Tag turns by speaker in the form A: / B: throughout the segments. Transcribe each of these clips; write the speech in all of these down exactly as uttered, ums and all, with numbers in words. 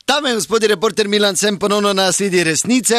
A: Dame in gospodi, reporter Milan, sem ponovno na sledi resnice.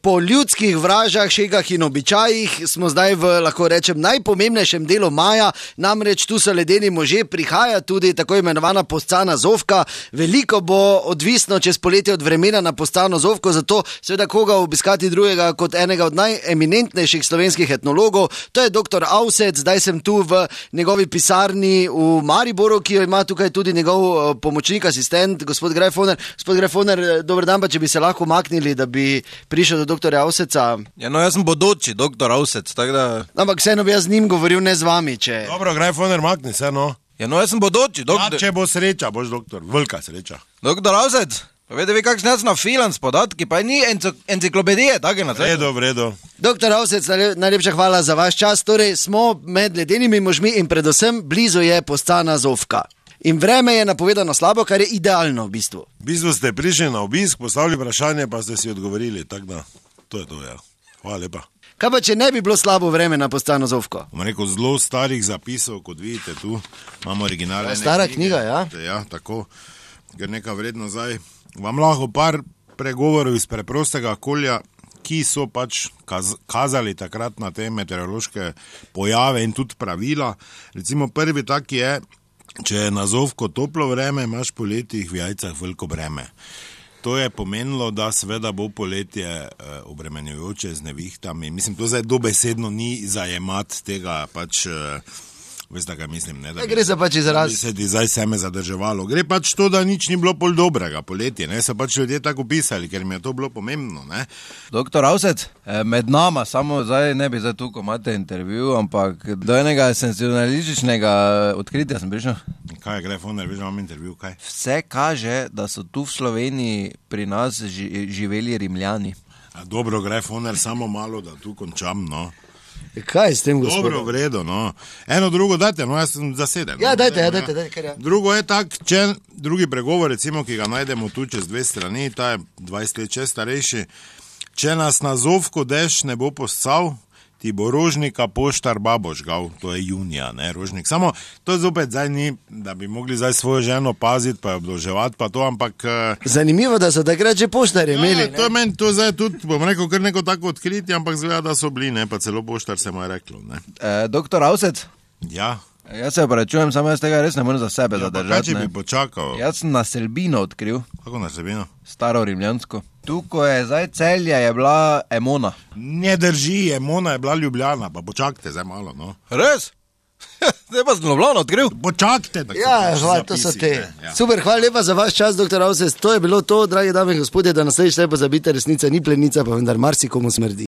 A: Po ljudskih vražah, šegah in običajih smo zdaj v, lahko rečem, najpomembnejšem delu maja, namreč tu so ledeni možje, prihaja tudi tako imenovana Poscana Zofka. Veliko bo odvisno čez poletje od vremena na Poscano Zofko, zato seveda koga obiskati drugega kot enega od najeminentnejših slovenskih etnologov. To je doktor Avsec, zdaj sem tu v njegovi pisarni v Mariboru, ki jo ima tukaj tudi njegov pomočnik, asistent, gospod Grajfoner. Gospod Grajfoner, dober dan, pa če bi se lahko umaknili, da bi prišel do doktorja Avseca.
B: Ja, no, jaz sem bodoči doktor Avsec, tako da...
A: Ampak vseeno bi jaz z njim govoril, ne z vami, če...
C: Dobro, Grajfoner, makni se, no.
B: Ja, no, jaz sem bodoči doktor...
C: Ja, če bo sreča, boš doktor, velika sreča.
B: Doktor Avsec, pa vede vi kakšne jaz na filan s podatki, pa ni enciklopedije, tako je na svetu.
C: Redo, vredo.
A: Doktor Avsec, najlepša hvala za vaš čas. Torej, smo med ledenimi možmi in predvsem blizu je Poscana Zofka. In vreme je napovedano slabo, kar je idealno v bistvu.
C: V bistvu ste prišli na obisk, postavili vprašanje, pa ste si odgovorili, tako da, to je to, ja. Hvala lepa.
A: Kaj pa, če ne bi bilo slabo vreme na Poscano Zofko?
C: Imam rekel zelo starih zapisov, kot vidite tu, imamo originalne knjige.
A: Stara knjiga, ja?
C: Ja, tako, ker neka vredno zdaj. Vam lahko par pregovorov iz preprostega okolja, ki so pač kaz kazali takrat na te meteorološke pojave in tudi pravila. Recimo prvi tak je, če je na Zofko toplo vreme, imaš po letih v jajcah veliko breme. To je pomenilo, da seveda bo poletje eh, obremenjujoče z nevihtami. Mislim, to zdaj dobesedno ni zajemat tega pač... Eh, Veste, kaj mislim, ne? Da
A: gre za pač izraz.
C: Da bi se ti zdaj seme zadrževalo. Gre pač to, da nič ni bilo pol dobrega poletje, ne? So pač ljudje tako pisali, ker mi je to bilo pomembno, ne?
B: Doktor Avsec, med nama, samo zdaj ne bi zdaj tukaj imate intervju, ampak do enega sensacionalističnega odkritja sem prišel.
C: Kaj je, Grajfoner, veš, imam intervju, kaj?
B: Vse kaže, da so tu v Sloveniji pri nas ži živeli Rimljani.
C: A dobro, Grajfoner, samo malo, da tu končam, no.
A: Kaj s tem, gospod?
C: Dobro, vredo, no. Eno drugo dajte, no, jaz sem zaseden.
A: Ja,
C: no,
A: dajte, ja,
C: no,
A: dajte, dajte, kar ja.
C: Drugo je tak, če drugi pregovor, recimo, ki ga najdemo tu čez dve strani, ta je dvajset let čez starejši, če nas na Zofko dež ne bo poscal, ti bo Rožnika poštar babo žgal, to je junija, ne, Rožnik. Samo, to zopet zdaj ni, da bi mogli zdaj svojo ženo paziti, pa jo obdolževati, pa to, ampak...
A: Zanimivo, da so takrat že poštarje imeli,
C: ja, to je meni, to zdaj tudi, bom rekel, kar neko tako odkritje, ampak zgleda, da so bili, ne, pa celo poštar se mu je reklo, ne.
B: E, doktor Avsec?
C: Ja.
B: Jaz se opravičujem, samo jaz tega res ne morem za sebe
C: ja,
B: zadržati.
C: Kaj, če bi počakal?
B: Jaz sem naselbino odkril.
C: Kako naselbino?
B: Staro rimljansko. Tukaj je zdaj Celje, je bila Emona.
C: Ne drži, Emona je bila Ljubljana, pa počakajte zdaj malo, no.
B: Res? Zdaj pa sem Ljubljano odkril.
C: Počakajte.
A: Ja, hvala, to so te. Ja. Super, hvala lepa za vaš čas, doktor Avsec. To je bilo to, dragi dame in gospodje, da naslednjič ne pozabite, resnica ni plenica, pa vendar marsikomu smrdi.